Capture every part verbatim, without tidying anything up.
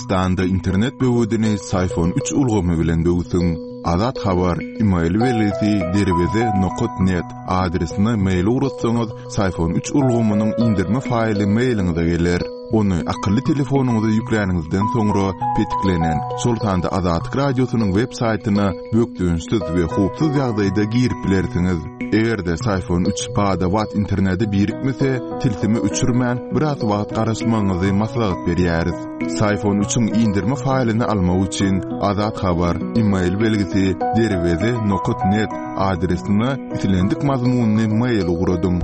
Türkmenistanda internet böwedini Syfon üç ulgamy bilen böwsüň. Azat Habar, e-mail belgisi derweze nokat net adresine mail ugratsaňyz, Syfon üç ulgamynyň indirme faýly mailiňize geler. Ony akylly telefonyňyza ýükläniňizden soňra petiklenen, şol sanda Azatlyk Radiosynyň web saýtyna bökdençsiz we howpsuz ýagdaýda girip bilersiňiz. Eger-de Syfon üç bada-bat internete birikmese, tilsimi öçürmän biraz wagt garaşmagyňyzy maslahat berýäris. Syfon üçiň indirme faýlyny almak üçin Azat Habar, e-mail belgisi derweze nokat net adresine islendik mazmunyny mail ugradyň.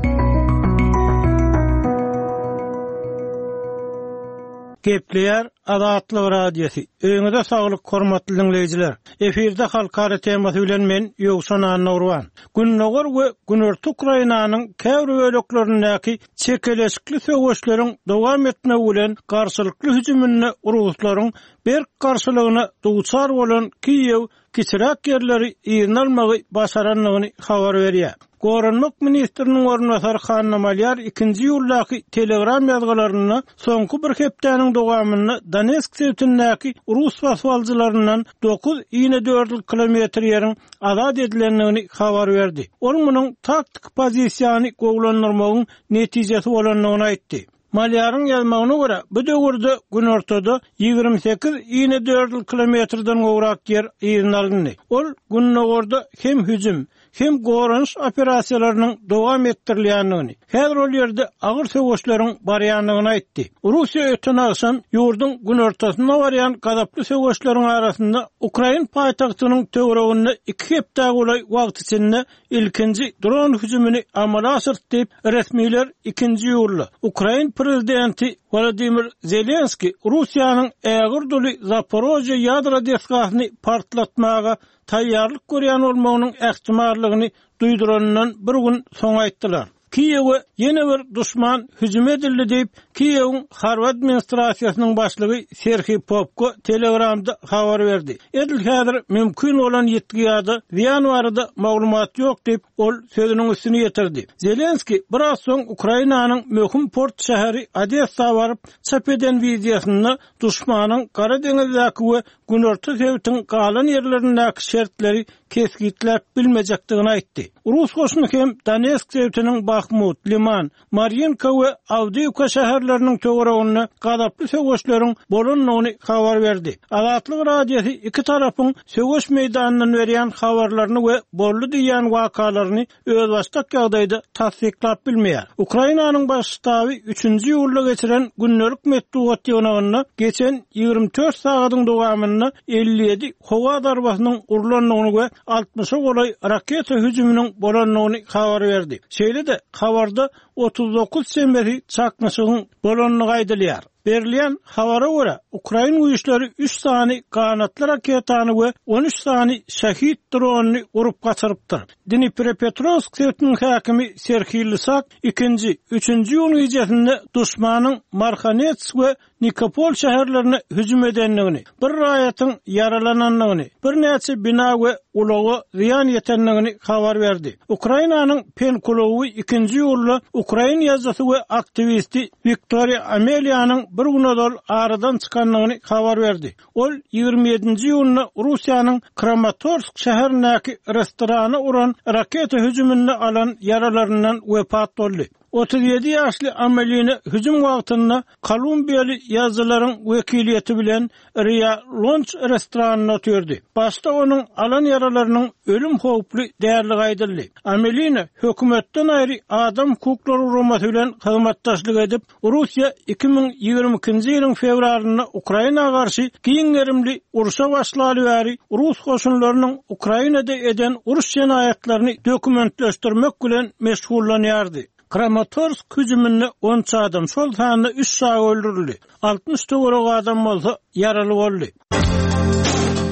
Gepleýär Azatlyk Radiosy. Öýüňize saglyk hormatly dinleýjiler. Efirde halkara temasy bilen men Ýowşan Annurwan. Gündogar we Günorta Ukrainanyň käbir böleklerindäki çekeleşikli söweşleriň dowam etmegi bilen garşylykly hüjüminde Ruslaryň berk garşylygyna duçar bolan Kiýew kiçiräk ýerleri yzyna almagy başarandygyny habar berýär. Goranmak ministriniň orunbasary Hanna Malýar ikinji iýuldaky Telegram ýazgylarynda soňky bir hepdäniň dowamynda Donetsk sebitindäki rus basybalyjylaryndan dokuz inedördül kilometr ýeriň azat edilendigini habar berdi. Ol munuň taktik pozisiýany gowulandyrmagyň netijesi bolandygyny aýtdy. Malýaryň ýazmagyna görä, bu döwürde günortada ýigrimi sekiz inedördül kilometrden gowrak ýer yzyna alyndy. Ol gündogarda hem hüjüm, hem goranyş operasiýalarynyň dowam etdirilýändigini, häzir ol ýerde agyr söweşleriň barýandygyny aýtdy. Russiýa öten agşam ýurduň günortasynda barýan gazaply söweşleriň arasynda Ukrain paýtagtynyň töwereginde iki hepde golaý wagt içinde ilkinji dron hüjümini amala aşyrdy diýip, resmiler ikinji iýulda Ukrain prezidenti Wladimir Zelenski Russiýanyň ägir duly Zaporojye ýadro desgasyny partlatmaga taýýarlyk görýän bolmagynyň ähtimallygyny duýduranyndan bir gün soň aýtdylar. Kiýewe ýene bir duşman hüjüm edildi diýip, Kiýewiň harby administrasiýasynyň başlygy Serhiý Popko Telegramda habar berdi. Edil häzir mümkin bolan ýetki ýa-da zyýan barada maglumat ýok diýip, ol sözüniň üstüni ýetirdi. Zelenski biraz soň Ukrainanyň möhüm port şäheri Odessa baryp, çap eden wideosynda duşmanyň Gara deňizdäki we Günorta sebitiň galan ýerlerindäki şertleri kesgitläp bilmejekdigini aýtdy. Rus goşuny hem Donetsk sebitiniň Bahmut, Liman, Marinka we Awdiýewka şäherleriniň töwereginde gazaply söweşleriň bolandygyny habar berdi. Azatlyk Radiosy iki tarapyň söweş meýdanyndan berýän habarlaryny we boldy diýen wakalaryny özbaşdak ýagdaýda tassyklap bilmeýär. Ukrainanyň baş ştaby üçünji iýulda geçiren gündelik metbugat ýygnagynda geçen ýigrimi dört sagatyň dowamynda elli ýedi howa zarbasynyň urlandygyny we altmyşa golaý raketa hüjüminiň bolandygyny habar berdi. Şeýle-de habarda otuz dokuz çemesi çaknyşygyň bolandygy aýdylýar. Berilýän habara görä, Ukrain güýçleri üç sany ganatly raketany we on üç sany şehit dronyny urup gaçyrypdyr. Dnipropetrovsk sebitiniň häkimi Serhiý Lysak ikinji, üçünji iýun gecesinde duşmanyň Marhanets we Nikopol şäherlerine hüjüm edendigini, bir raýatyň ýaralanandygyny, birnäçe bina we ulaga zyýan ýetendigini habar berdi. Ukrainanyň Penkuluwy ikinji iýulda Ukrain ýazyjysy we aktiwisti Wiktoriýa Amelianyň bir gün ozal aradan çykandygyny habar berdi. Ol ýigrimi ýedinji iýunda Russiýanyň Kramatorsk şäherindäki restorana uran raketa hüjüminde alan ýaralaryndan wepat boldy. Otuz ýedi ýaşly Amelina hüjüm wagtynda Kolumbiýaly ýazyjylaryň wekiliýeti bilen Ria Lunch restoranynda oturdy. Başda onuň alan ýaralarynyň ölüm howply däligi aýdyldy. Amelina hökümetden aýry adam hukuklary guramasy bilen hyzmatdaşlyk edip, Russiýa iki müň ýigrimi ikinji ýylyň fewralynda Ukraina garşy giň gerimli urşa başlaly bäri Rus goşunlarynyň Ukrainada eden uruş jenaýatlaryny dokumentleşdirmek bilen meşgullanýardy. Kramatorsk hüjüminde on üç adam, şol sanda üç çaga öldürildi. Altmyş töweregi adam bolsa ýaraly boldy.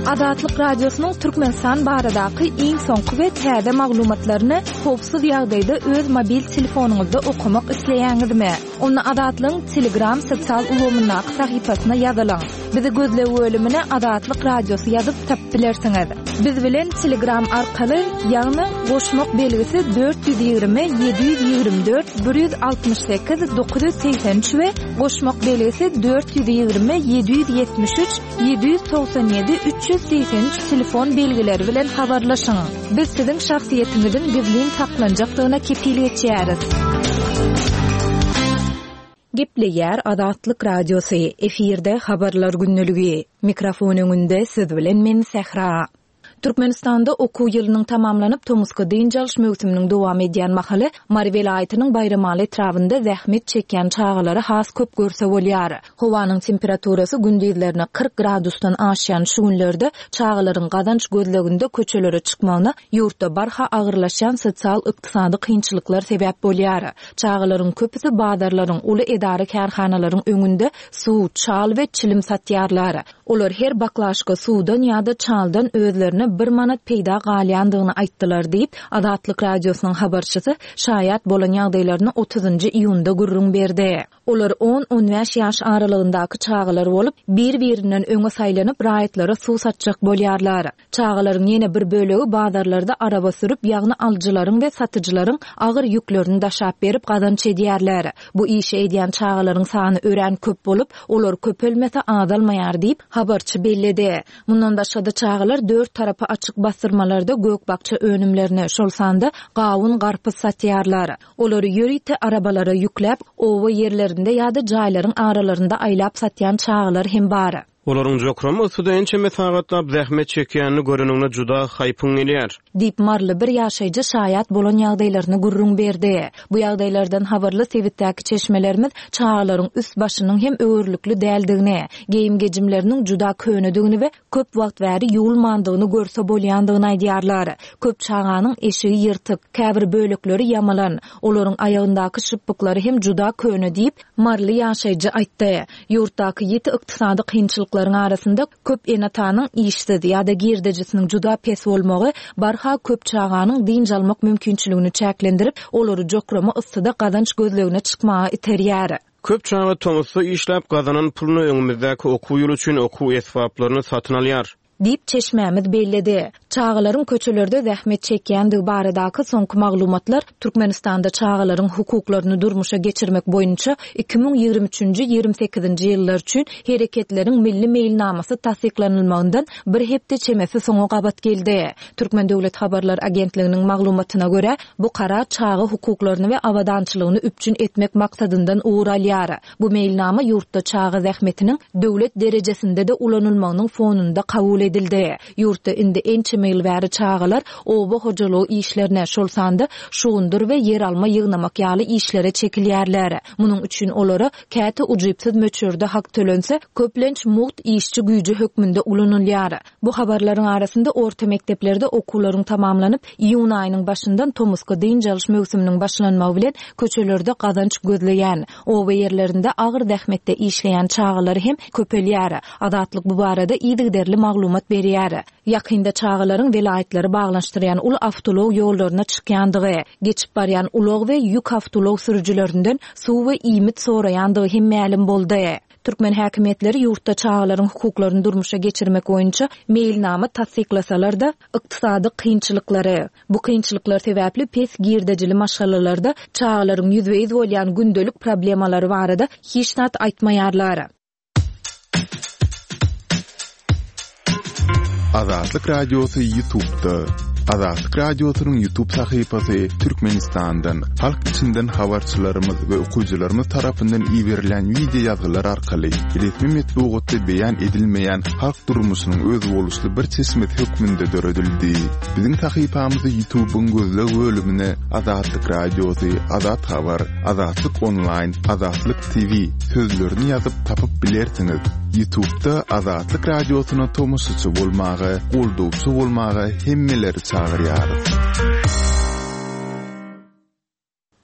Azatlyk Radiosynyň Türkmenistan baradaky iň soňky we täze maglumatlaryny howpsuz ýagdaýda öz mobil telefonyňyzda okamak isleýäňizmi? Onda Azatlygyň Telegram sosial ulgamyndaky sahypasyna ýazylyň. Bizi gözleg bölümine Azatlyk Radiosy ýazyp tapyp bilersiňiz. Biz bilen Telegram arkaly, ýagny goşmak belgisi dört ýüz ýigrimi ýedi ýüz ýigrimi dört bir ýüz altmyş sekiz dokuz ýüz segsen üç we goşmak belgisi dört ýüz ýigrimi ýedi ýüz ýetmiş üç ýedi ýüz togsan ýedi üç ýüz segsen üç telefon belgileri bilen habarlaşyň. Biz siziň şahsyýetiňiziň gizlin saklanjakdygyna kepil geçýäris. Gepleýär Azatlyk Radiosy, efirde habarlar gündeligi. Mikrofon öňünde siz bilen men Sähra. Türkmenistanda okuw ýylynyň tamamlanyp tomusky dynç alyş möwsüminiň dowam edýän mahaly Mary welaýatynyň Baýramaly etrabynda zähmet çekýän çagalary has köp görse bolýar. Howanyň temperaturasy gündizlerine kyrk gradusdan aşýan şu günlerde çagalaryň gazanç gözleginde köçelere çykmagyna ýurtda barha agyrlaşýan sosial-ykdysady kynçylyklar sebäp bolýar. Çagalaryň köpüsi bazarlaryň, uly edara kärhanalaryň öňünde suw, çal we çilim satýarlar. Olar her baklaşka suwdan ýa-da çaldan özlerine bir manat peýda galýandygyny aýtdylar diýip, Azatlyk Radiosynyň habarçysy şaýat bolan ýagdaýlaryny otuzynjy iýunda gürrüň berdi. Olar on-on bäş ýaş aralygyndaky çagalar bolup, bir-birinden öňe saýlanyp raýatlara suw satjak bolýarlar. Çagalaryň ýene bir bölegi bazarlarda araba sürüp, ýagny alyjylaryň we satyjylaryň agyr ýüklerini daşap berip gazanç edýärler. Bu işi edýän çagalaryň sany örän köp bolup, olar köpelmese azalmaýar diýip, habarçy belledi. Mundan başga-da çagalar dört tarapy açyk bastyrmalarda gök-bakja önümlerini, şol sanda gawun garpyz satýarlar. Olary ýörite arabalara ýükläp, oba ýerlerinde ýa-da jaýlaryň aralarynda aýlap satýan çagalar hem bar. Olaryň jokrama yssyda ençeme sagatlap zähmet çekýänini göreninde juda haýpyň gelýär. Diýip Maryly bir ýaşaýjy şaýat bolan ýagdaýlaryny gürrüň berdi. Bu ýagdaýlardan habarly sebitdäki çeşmelerimiz çagalaryň üst başynyň hem öwürlikli däldigini, geýim-gejimleriniň juda könedigini we köp wagt bäri ýuwulmandygyny görse bolýandygyny aýdýarlar. Köp çaganyň eşigi ýyrtyk, käbir bölekleri ýamalan, olaryň aýagyndaky şypbyklary hem juda köne diýip Maryly ýaşaýjy aýtdy. Ýurtdaky ýiti ykdysady kynçylyklaryň arasynda köp ene-atanyň işsiz ýa-da girdejisiniň juda pes bolmagy barha köp çaganyň dynç almak mümkinçiligini çäklendirip, olary jokrama yssyda gazanç gözlegine çykmaga iterýär. Köp çaga tomusda işläp gazanan puluny öňümizdäki okuw ýyly üçin okuw esbaplaryny satyn alýar. Diýip çeşmämiz belledi. Çagalaryň köçelerde zähmet çekýändigi baradaky soňky maglumatlar Türkmenistanda çagalaryň hukuklaryny durmuşa geçirmek boýunça iki müň ýigrimi üçünji ýigrimi sekizinji ýyllar üçin hereketleriň milli meýilnamasy tassyklanylmagyndan bir hepde çemesi soňa gabat geldi. Türkmen Döwlet Habarlar Agentliginiň maglumatyna görä, bu karar çaga hukuklaryny we abadançylygyny üpjün etmek maksadyndan ugur alýar. Bu meýilnama ýurtda çaga zähmetiniň döwlet derejesinde-de ulanylmagynyň fonunda kabul edildi. Ýurtda indi ençeme ýyl bäri çagalar oba hojalygy işlerine, şol sanda şugundyr we ýer alma ýygnamak ýaly işlere çekilýärler. Munuň üçin olara käte ujypsyz möçberde hak tölense, köplenç mugt işçi güýji hökmünde ulanylýar. Bu habarlaryň arasynda orta mekdeplerde okuwlaryň tamamlanyp, iýun aýynyň başyndan tomusky dynç alyş möwsüminiň başlanmagy bilen köçelerde gazanç gözleýän, oba ýerlerinde agyr zähmetde işleýän çagalar hem köpelýär. Azatlyk bu barada yzygiderli maglumat berýär. Ýakynda çagalaryň welaýatlary baglanyşdyrýan uly awtoulag ýollaryna çykýandygy, geçip barýan ulag we ýük awtoulag sürüjilerinden suw we iýmit soraýandygy hem mälim boldy. Türkmen häkimiýetleri ýurtda çagalaryň hukuklaryny durmuşa geçirmek boýunça meýilnama tassyklasalar-da, ykdysady kynçylyklary, bu kynçylyklar sebäpli pes girdejili maşgalalarda çagalaryň ýüzbe-ýüz bolýan gündelik problemalary barada hiç zat aýtmaýarlar. Azatlyk Radiosy YouTube'da. Azatlyk Radiosynyň YouTube sahypasy Türkmenistandan, halk içinden habarçylarymyz we okyjylarymyz tarapyndan iberilen video ýazgylar arkaly resmi metbugatda beýan edilmeýän halk durmuşynyň özboluşly bir çeşmesi hökmünde döredildi. Biziň sahypamyzy YouTube'yň gözleg bölümine Azatlyk Radiosy, Azat Habar, Azatlyk Online, Azatlyk T V sözlerini ýazyp tapyp bilersiňiz. YouTube'da Azatlyk Radiosyna tomaşaçy bolmaga, goldawçy bolmaga hemmeleri çagyrýarys.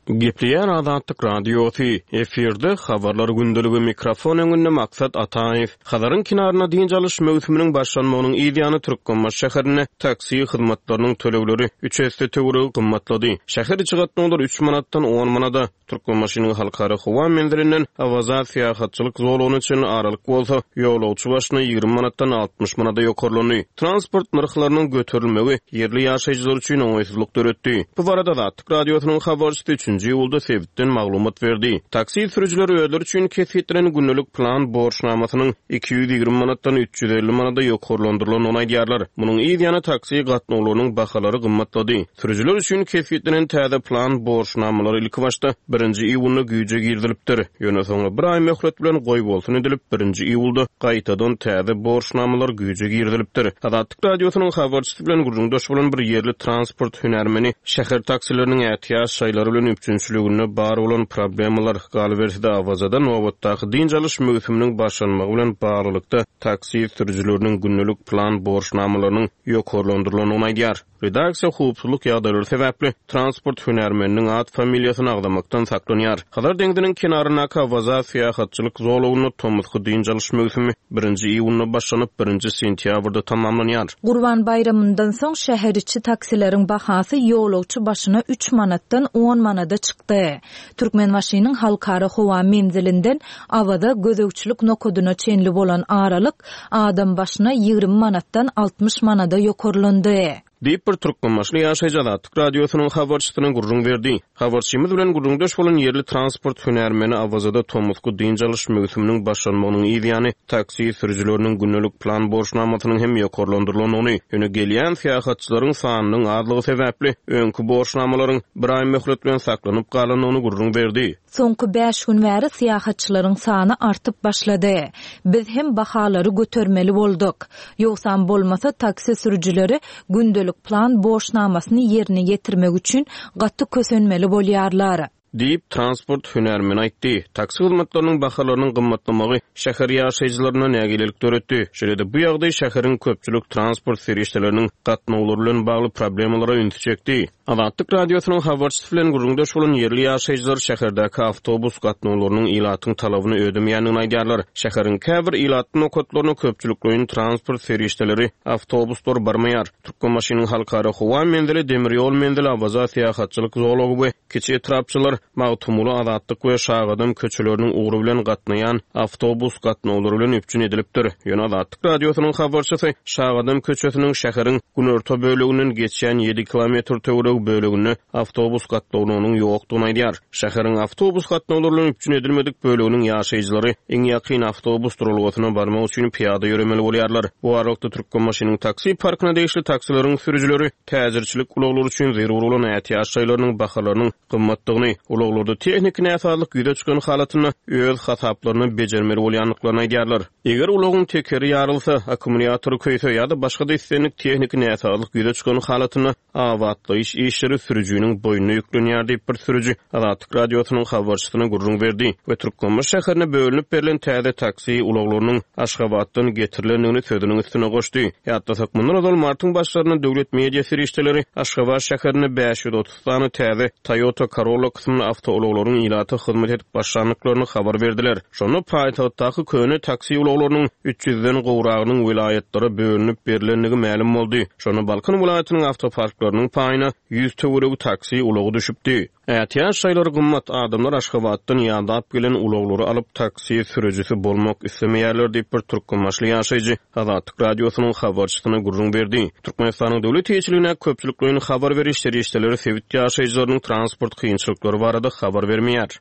Gepleýär Azatlyk Radiosy, efirde Habarlar gündeligi, mikrofon öňünde Maksat Ataýew. Hazaryň kenarynda dynç alyş möwsüminiň başlanmagynyň yz ýany Türkmenbaşy şäherinde taksi hyzmatlarynyň tölegleri üç esse töweregi gymmatlady. Şäher içi gatnawlar üç manatdan on manada, Türkmenbaşynyň halkara howa menzilinden Awaza syýahatçylyk zolagyna çenli aralyk bolsa, ýolagçy başyna ýigrimi manatdan altmyş manada ýokarlandy. Transport nyrhlarynyň göterilmegi ýerli ýaşaýjylar üçin oňaýsyzlyk döretdi. Bu barada Azatlyk Radiosynyň habarçysy üçünji iýulda sebitden maglumat berdi. Taksi sürüjileri özleri üçin kesgitlenen gündelik plan borçnamasynyň iki ýüz ýigrimi manatdan üç ýüz elli manada ýokarlandyrylandygyny aýdýarlar. Munuň yz ýany taksi gatnawlarynyň bahalary gymmatlady. Sürüjiler üçin kesgitlenen täze plan borçnamalary ilki başda birinji iýunda güýje girizilipdir. Ýöne soňra bir aý möhlet bilen goýbolsun edilip, birinji iýulda gaýtadan täze borçnamalar güýje girizilipdir. Azatlyk Radiosynyň habarçysy bilen gürrüňdeş bolan bir ýerli transport hünärmeni şäher taksileriniň ätiýaç şaýlary bilen üpjünçiliginde bar bolan problemalar, galyberse-de Awazada nobatdaky dynç alyş möwsüminiň başlanmagy bilen baglylykda taksi sürüjileriniň gündelik plan borçnamalarynyň ýokarlandyrylandygyny aýdýar. Redaksiýa howpsuzlyk ýagdaýlary sebäpli transport hünärmeniniň at familiýasyny agzamakdan saklanýar. Hazar deňziniň kenaryndaky Awaza syýahatçylyk zolagynda tomusky dynç alyş möwsümi birinji iýunda başlanyp, birinji sentýabrda tamamlanýar. Gurban baýramyndan soň şäher içi taksileriň bahasy ýolagçy başyna üç manatdan on manada çykdy. Türkmenbaşynyň halkara howa menzilinden Awaza gözegçilik nokadyna çenli bolan aralyk adam başyna ýigrimi manatdan altmyş manada ýokarlandy. Diýip bir Türkmenbaşyly ýaşaýjy Azatlyk Radiosynyň habarçysyna gürrüň berdi. Habarçymyz bilen gürrüňdeş bolan ýerli transport hünärmeni Awazada tomusky dynç alyş möwsüminiň başlanmagynyň yz ýany taksi sürüjileriniň gündelik plan borçnamasynyň hem ýokarlandyrylandygyny, ýöne gelýän syýahatçylaryň sanynyň azlygy sebäpli öňki borçnamalaryň bir aý möhlet bilen saklanyp galandygyny gürrüň berdi. Soňky bäş gün bäri syýahatçylaryň sany artyp başlady. Biz hem bahalary götermeli bolduk. Ýogsam bolmasa taksi sürüjileri gündelik plan borçnamasyny ýerine ýetirmek üçin gaty kösenmeli bolýarlar. Diýip transport hünärmeni aýtdy. Taksi hyzmatlarynyň bahalarynyň gymmatlamagy şäher ýaşaýjylaryna nägilelik döretdi. Şeýle-de bu ýagdaý şäheriň köpçülik transport serişdeleriniň gatnawlary bilen bagly problemalara ünsi çekdi. Azatlyk Radiosynyň habarçysy bilen gürrüňdeş bolan ýerli ýaşaýjylar şäherdäki awtobus gatnawlarynyň ilatyň talabyny ödemeýändigini aýdýarlar. Şäheriň käbir ilatly nokatlaryna köpçülikleýin transport serişdeleri awtobuslar barmaýar. Türkmenbaşynyň halkara howa menzili, demir ýol menzili, Awaza syýahatçylyk zolagy we kiçi etrapçylar Magtymguly Azatlyk we Şagadam köçeleriniň ugry bilen gatnaýan awtobus gatnawlary bilen üpjün edilipdir. Ýöne Azatlyk Radiosynyň habarçysy Şagadam köçesiniň şäheriň günorta böleginden geçýän ýedi kilometr töweregi böleginde awtobus gatnawlarynyň ýokdugyny aýdýar. Şäheriň awtobus gatnawlary bilen üpjün edilmedik böleginiň ýaşaýjylary iň ýakyn awtobus duralgasyna barmak üçin pyýada ýöremeli bolýarlar. Bu aralykda Türkmenbaşynyň taksi parkyna degişli taksileriň sürüjileri täjirçilik ulaglary üçin zerur bolan ätiýaç şaýlarynyň bahalarynyň gymmatdygyny, ulaglarda tehniki näsazlyk ýüze çykan halatynda öz hasaplaryny bejermeli bolýandyklaryny aýdýarlar. Eger ulagyň tekeri ýarylsa, akkumulýatory köýse ýa-da başga da islendik tehniki näsazlyk ýüze çykan halatynda abatlaýyş işleri sürüjiniň boýnuna ýüklenýär diýip bir sürüji Azatlyk Radiosynyň habarçysyna gürrüň berdi we Türkmenbaşy şäherine bölünip berlen täze taksi ulaglarynyň Aşgabatdan getirilendigini sözüniň üstüne goşdy. Ýatlasak, mundan ozal martyň başlarynda döwlet media serişdeleri Aşgabat şäherinde bäş ýüz otuz sany täze Toyota Corolla kysymly awtoulaglaryň ilata hyzmat edip başlandyklaryny habar berdiler. Şonda paýtagtdaky köne taksi ulaglarynyň üç ýüzden gowragynyň welaýatlara bölünip berilendigi mälim boldy. Şonda Balkan welaýatynyň awtoparklarynyň paýyna ýüz töweregi taksi ulagy düşüpdi. Ätiýaç şaýlary gymmat, adamlar Aşgabatdan ýadap gelen ulaglary alyp taksi sürüjisi bolmak islemeýärler diýip bir Türkmenbaşly ýaşaýjy Azatlyk Radiosynyň habarçysyna gürrüň berdi. Türkmenistanyň döwlet eýeçiligine köpçülikleýin habar beriş serişdeleri sebit ýaşaýjylarynyň transport kynçylyklary barada habar bermeýär.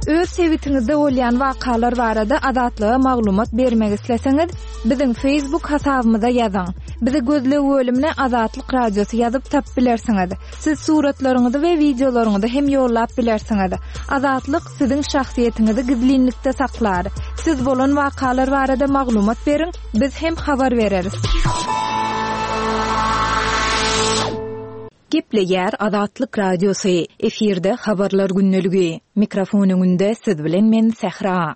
Öz sebitiňizde bolýan wakalar barada Azatlyga maglumat bermek isleseňiz, biziň Facebook hasabymyza ýazyň. Bizi gözleg bölümine Azatlyk Radiosy ýazyp tapyp bilersiňiz. Siz suratlaryňyzy we wideolaryňyzy hem ýollap bilersiňiz. Azatlyk siziň şahsyýetiňizi gizlinlikde saklar. Siz bolan wakalar barada maglumat beriň, biz hem habar bereris. Gepleýär Azatlyk Radiosy. Efirde habarlar gündeligi. Mikrofon öňünde siz bilen men Sähra.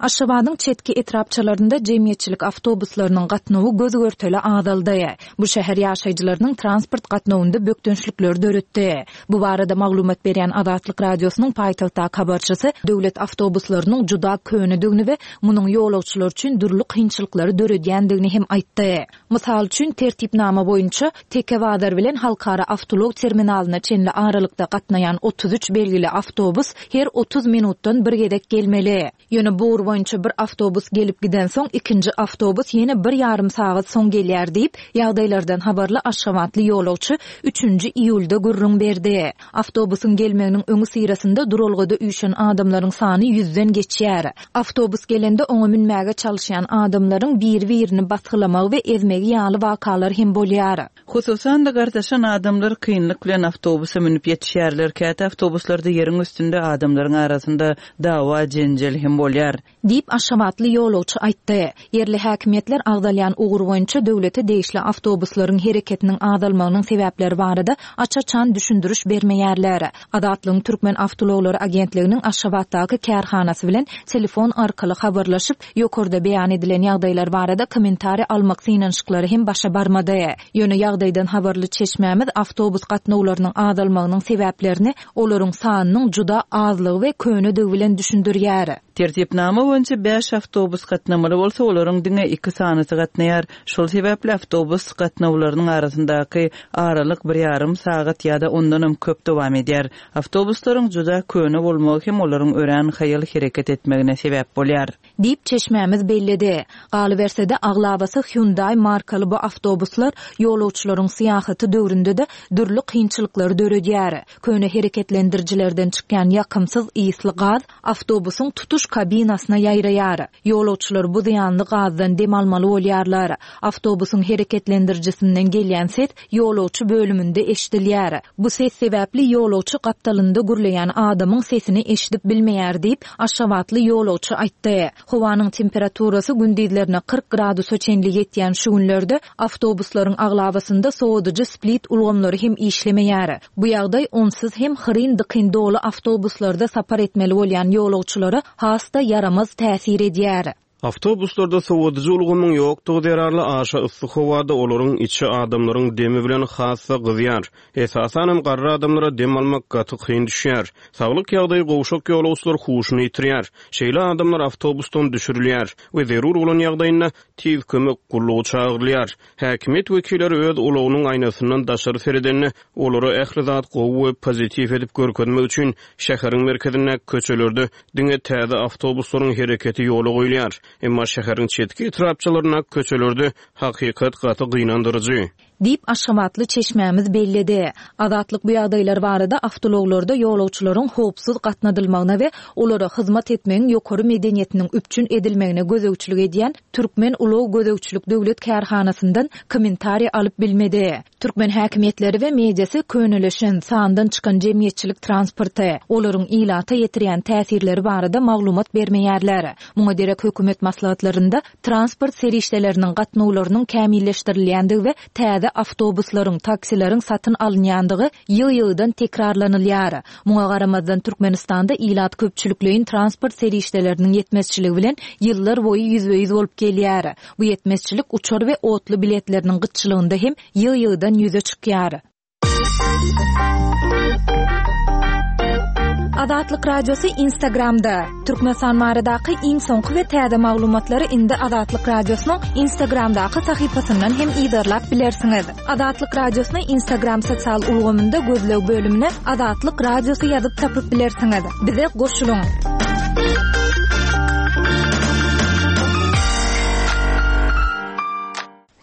Aşgabadyň çetki etrapçalarynda jemgyýetçilik awtobuslarynyň gatnawy göz-görtele azaldy. Bu şäher ýaşaýjylarynyň transport gatnawynda bökdençlikleri döretdi. Bu barada maglumat berýän Azatlyk Radiosynyň paýtagtdaky habarçysy döwlet awtobuslarynyň juda könedigini we munuň ýolagçylar üçin dürli kynçylyklary döredýändigini hem aýtdy. Mysal üçin, tertipnama boýunça Teke bazar bilen halkara awtoulag terminalyna çenli aralykda gatnaýan otuz üç belgili awtobus her otuz minutdan bir gezek gelmeli. Ýöne bu ugur boýunça bir awtobus gelip gidensoň, ikinji awtobus ýene bir ýarym sagat soň gelýär diýip, ýagdaýlardan habarly aşgabatly ýolagçy üçünji iýulda gürrüň berdi. Awtobusyň gelmeginiň öňüsyrasynda duralgada üýşen adamlaryň sany ýüzden geçýär. Awtobus gelende oňa münmäge çalyşýan adamlaryň biri-birini basgylamagy we ezmegi ýaly wakalar hem bolýar. Hususan-da gartaşan adamlar kynlyk bilen awtobusa münüp ýetişýärler. Käte awtobuslarda ýeriň üstünde adamlaryň arasynda dawa jenjel hem bolýar. Diýip, aşgabatly ýolagçy aýtdy. Ýerli häkimiýetler agzalýan ugur boýunça döwlete degişli awtobuslaryň hereketiniň azalmagynyň sebäpleri barada aç-açan düşündiriş bermeýärler. Azatlygyň Türkmen awtoulaglary agentliginiň Aşgabatdaky kärhanasy bilen telefon arkaly habarlaşyp, ýokarda beýan edilen ýagdaýlar barada kommentariý almak synanyşyklary hem başa barmady. Ýöne ýagdaýdan habarly çeşmämiz awtobus gatnawlarynyň azalmagynyň sebäplerini olaryň sanynyň juda azlygy we könedigi bilen düşündirýär. Tertipnama boýunça bäş awtobus gatnamaly bolsa, olaryň diňe iki sanysy gatnaýar. Şol sebäpli awtobus gatnawlarynyň arasyndaky aralyk bir ýarym sagat ýa-da ondanam köp dowam edýär. Awtobuslaryň juda köne bolmagy hem olaryň örän haýal hereket etmegine sebäp bolýar. Diýip, çeşmämiz belledi. Galyberse-de, aglabasy Hyundai markaly bu awtobuslar ýolagçylaryň syýahaty döwründe-de dürli kynçylyklary döredýär. Köne hereketlendirijilerden çykýan ýakymsyz ysly gaz awtobusyň tutuş kabinasyna ýaýraýar. Ýolagçylar bu zyýanly gazdan dem almaly bolýarlar. Awtobusyň hereketlendirijisinden gelýän ses ýolagçy bölüminde eşidilýär. Bu ses sebäpli ýolagçy gapdalynda gürleýän adamyň sesini eşidip bilmeýär diýip, aşgabatly ýolagçy aýtdy. Howanyň temperaturasy gündizlerine kyrk gradusa çenli ýetýän şu günlerde awtobuslaryň aglabasynda sowadyjy split ulgamlary hem işlemeýär. Bu ýagdaý onsuz hem hyryn-dykyn doly awtobuslarda sapar etmeli bolýan ýolagçylara has-da ýaramaz täsir edýär. Awtobuslarda sowadyjy ulgamyň ýokdugy zerarly aşa yssy howada olaryň içi adamlaryň demi bilen has-da gyzýar. Esasanam garry adamlara dem almak gaty kyn düşýär. Saglyk ýagdaýy gowşak ýolagçylar huşuny ýitirýär. Şeýle adamlar awtobusdan düşürilýär we zerur bolan ýagdaýynda tiz kömek gullugy çagyrylýar. Häkimiýet wekilleri öz ulagynyň aýnasyndan daşary seredende olara ähli zat gowy we pozitiw edip görkezmek üçin şäheriň merkezindäki köçelerde diňe täze awtobuslaryň hereketi ýola goýulýar. Emma şäheriň çetki etrapçalaryndaky köçelerde hakykat gaty gynandyryjy. Diýip, aşgabatly çeşmämiz belledi. Azatlyk bu ýagdaýlar barada awtoulaglarda ýolagçylaryň howpsuz gatnadylmagyna we olara hyzmat etmegiň ýokary medeniýetiniň üpjün edilmegine gözegçilik edýän Türkmen ulag gözegçilik döwlet kärhanasyndan kommentariý alyp bilmedi. Türkmen häkimiýetleri we mediasy köneleşen, sandan çykan jemgyýetçilik transporty, olaryň ilata ýetirýän täsirleri barada maglumat bermeýärler. Muňa derek hökümet maslahatlarynda transport serişdeleriniň gatnawlarynyň kämilleşdirilýändigi we täze awtobuslaryň, taksileriň satyn alynýandygy ýygy-ýygydan tekrarlanylýar. Muňa garamazdan Türkmenistanda ilat köpçülikleýin transport serişdeleriniň ýetmezçiligi bilen ýyllar boýy ýüzbe-ýüz bolup gelýär. Bu ýetmezçilik uçar we otly biletleriniň gytçylygynda hem ýygy-ýygydan ýüze çykýar. Azatlyk Radiosy Instagramda. Türkmenistan baradaky iň soňky we täze maglumatlary indi Azatlyk Radiosynyň Instagramdaky sahypasyndan hem yzarlap bilersiňiz. Azatlyk Radiosyny Instagram sosial ulgamynda gözleg bölümine Azatlyk Radiosy ýazyp tapyp bilersiňiz. Bize goşulyň.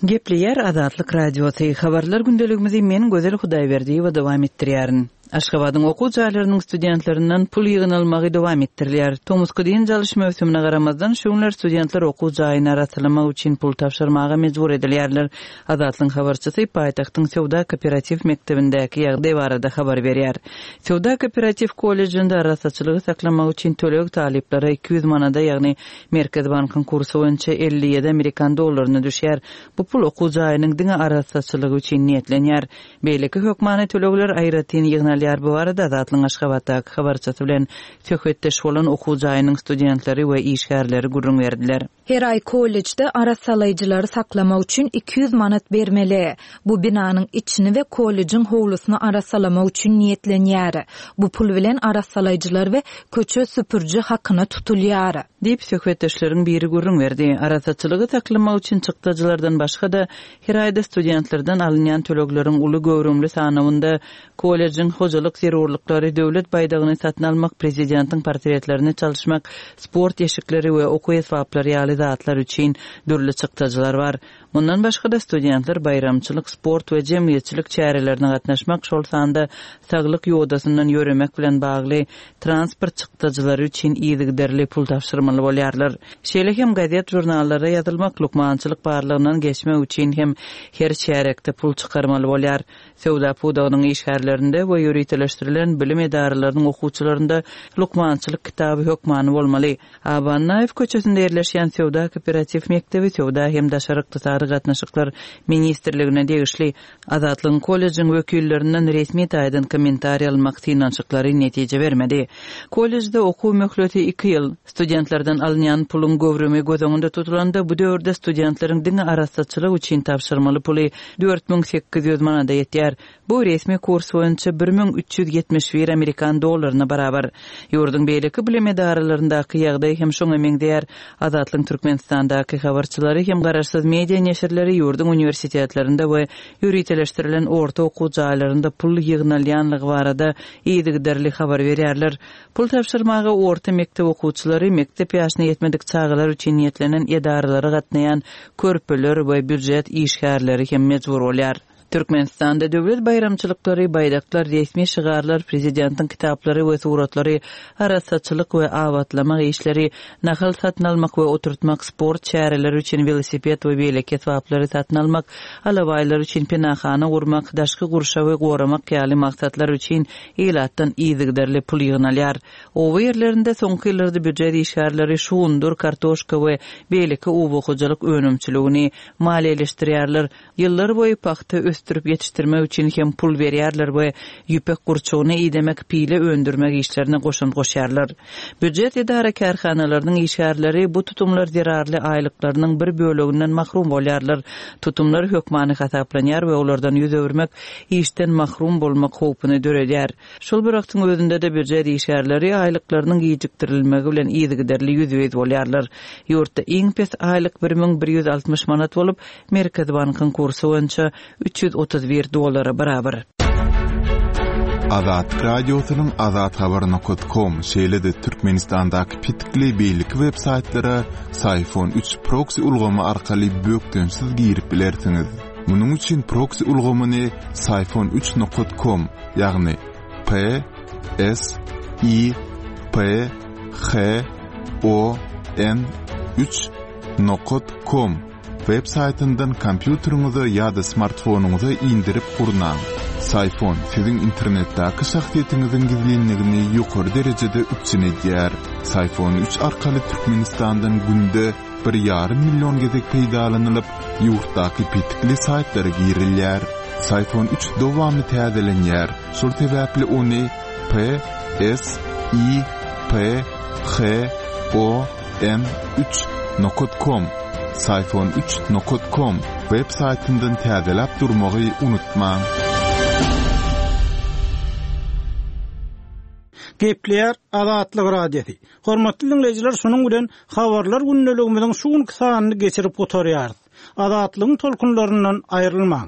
Gepleýär Azatlyk Radiosy. Habarlar gündeligimizi men Gözel Hudaýberdiýewa dowam etdirýärin. Aşgabadyň okuw jaýlarynyň studentlerinden pul ýygnalmagy dowam etdirilýär. Tomusky dynç alyş möwsümine garamazdan şu günler studentler okuw jaýyny arassalamak üçin pul tabşyrmaga mejbur edilýärler. Azatlygyň habarçysy paýtagtyň Söwda Kooperatiw mekdebindäki ýagdaý barada habar berýär. Söwda Kooperatiw kollejinde arassaçylygy saklamak üçin töleg talyplara iki ýüz manada, ýagny Merkez bankyň kursy boýunça elli ýedi amerikan dollaryna düşýär. Bu pul okuw jaýynyň diňe arassaçylygy üçin niýetlenýär. Beýleki hökmany tölegler aýratyn ýygnalýar. ýygnalýar. Bu barada Azatlygyň Aşgabatdaky habarçysy bilen söhbetdeş bolan okuw jaýynyň studentleri we işgärleri gürrüň berdiler. Her aý kollejde arassalaýjylary saklamak üçin iki ýüz manat bermeli. Bu binanyň içini we kollejiň howlusyny arassalamak üçin niýetlenýär. Bu pul bilen arassalaýjylar we köçe süpüriji hakyna tutulýar. Diýip söhbetdeşleriň biri gürrüň berdi. Arassaçylygy saklamak üçin çykdajylardan başga-da her aýda studentlerden alynýan tölegleriň uly göwrümli sanawynda kollejiň hojalyk zerurlyklary, döwlet baýdagyny satyn almak, prezidentiň portretlerini çalyşmak, sport eşikleri we okuw esbaplary ýaly zatlar üçin dürli çykdajylar bar. Mundan başga-da studentler baýramçylyk, sport we jemgyýetçilik çärelerine gatnaşmak, şol sanda saglyk ýodasyndan ýöremek bilen bagly transport çykdajylary üçin yzygiderli pul tabşyrmaly bolýarlar. Şeýle hem gazet žurnallara ýazylmak, lukmançylyk barlygyndan geçmek üçin hem her çärekde pul çykarmaly bolýar. Söwda pudagynyň işgärlerinde we ýöriteleşdirilen bilim edaralarynyň okuwçylarynda lukmançylyk kitaby hökmany bolmaly. Aba Annaýew köçesinde ýerleşýän Söwda kooperatiw mekdebi Söwda hem daşary ykdysady gatnaşyklar ministrligine degişli Azatlygyň kollejiň wekillerinden resmi taýdan kommentariý almak synanyşyklary netije bermedi. Kollejde okuw möhleti iki ýyl. Studentlerden alynýan puluň göwrümi göz öňünde tutulanda bu döwürde studentleriň diňe arassaçylyk üçin tabşyrmaly puly dört müň sekiz ýüz manada ýetýär. Bu resmi kurs boýunça bir müň üç ýüz ýetmiş bir amerikan dollaryna barabar. Ýurduň beýleki bilim edaralaryndaky ýagdaý hem şoňa meňzeýär. Azatlygyň Türkmenistandaky habarçylary hem garaşsyz media neşirleri ýurduň uniwersitetlerinde we ýöriteleşdirilen orta okuw jaýlarynda pul ýygnalýanlygy barada yzygiderli habar berýärler. Pul tabşyrmaga orta mekdep okuwçylary, mekdep ýaşyna ýetmedik çagalar üçin niýetlenen edaralara gatnaýan körpeler we býujet işgärleri hem mejbur bolýar. Türkmenistanda döwlet baýramçylyklary, baýdaklar, resmi şygarlar, prezidentiň kitaplary we suratlary, arassaçylyk we abatlamak işleri, nahal satyn almak we oturtmak, sport çäreleri üçin welosiped we beýleki esbaplary satyn almak, alabaýlar üçin penahana gurmak, daşky gurşawy goramak ýaly maksatlar üçin ilatdan yzygiderli pul ýygnalýar. Oba ýerlerinde soňky ýyllarda býujet işgärleri şugundyr, kartoşka we beýleki oba hojalyk önümçiligini maliýeleşdirýärler. Ýyllar boýy pagta ösdürip ýetişdirmek üçin hem pul berýärler we ýüpek gurçugyny idemek, pile öndürmek işlerine goşant goşýarlar. Býujet edara kärhanalarynyň işgärleri bu tutumlar zerarly aýlyklarynyň bir böleginden mahrum bolýarlar. Tutumlar hökmany hasaplanýar we olardan ýüz öwürmek işden mahrum bolmak howpuny döredýär. Şol bir wagtyň özünde de býujet işgärleri aýlyklarynyň gijikdirilmegi bilen yzygiderli ýüzbe-ýüz bolýarlar. Ýurtda iň pes aýlyk bir müň bir ýüz altmyş manat bolup, Merkez bankyň kursy boýunça üç ýüz otuz bir dollara barabar. Azatlyk Radiosynyň azathabar nokta com, şeýle-de Türkmenistandaky petikli beýleki web saýtlara Syfon üç proxy ulgamy arkaly bökdençsiz girip bilersiňiz. Munuň üçin proxy ulgamyny Syfon üç nokta com, ýagny P S I P H O N üç nokta com web saýtyndan kompýuteriňize ýa-da smartfonyňyza indirip gurnaň. Syfon siziň internetdäki şahsyýetiňiziň gizlinligini ýokary derejede üpjün edýär. Syfon üç arkaly Türkmenistandan günde bir ýarym million gezek peýdalanylyp, ýurtdaky petikli saýtlara girilýär. Syfon üç dowamly täzelenýär. Şol sebäpli ony P S I P H O N üç nokta com, Syfon üç nokta com web saýtyndan täzeläp durmagy unutmaň. Gepleýär Azatlyk Radiosy. Hormatly dinleýjiler, şunuň bilen habarlar gündeligimiziň şu günki sanyny geçirip gutarýarys. Azatlygyň tolkunlaryndan aýrylmaň.